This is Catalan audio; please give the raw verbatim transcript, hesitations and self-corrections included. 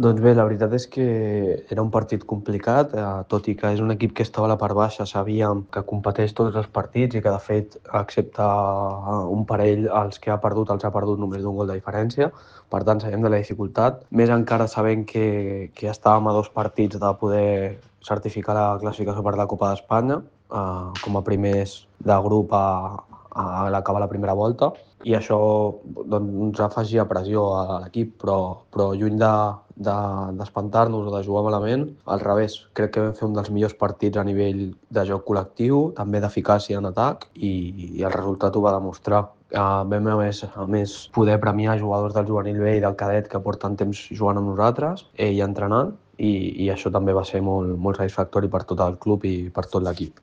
Doncs bé, la veritat és que era un partit complicat, eh, tot i que és un equip que estava a la part baixa, sabíem que competeix tots els partits i que, de fet, excepte un parell, els que ha perdut els ha perdut només d'un gol de diferència. Per tant, sabem de la dificultat. Més encara sabent que, que estàvem a dos partits de poder certificar la classificació per la Copa d'Espanya, eh, com a primers de grup a, a l'acabar la primera volta, i això doncs, ens afegia pressió a l'equip, però, però lluny de, de, d'espantar-nos o de jugar malament, al revés, crec que vam fer un dels millors partits a nivell de joc col·lectiu, també d'eficàcia en atac, i, i el resultat ho va demostrar. Uh, vam a més, a més poder premiar jugadors del juvenil B i del cadet que porten temps jugant amb nosaltres eh, i entrenant, i, i això també va ser molt, molt satisfactori per tot el club i per tot l'equip.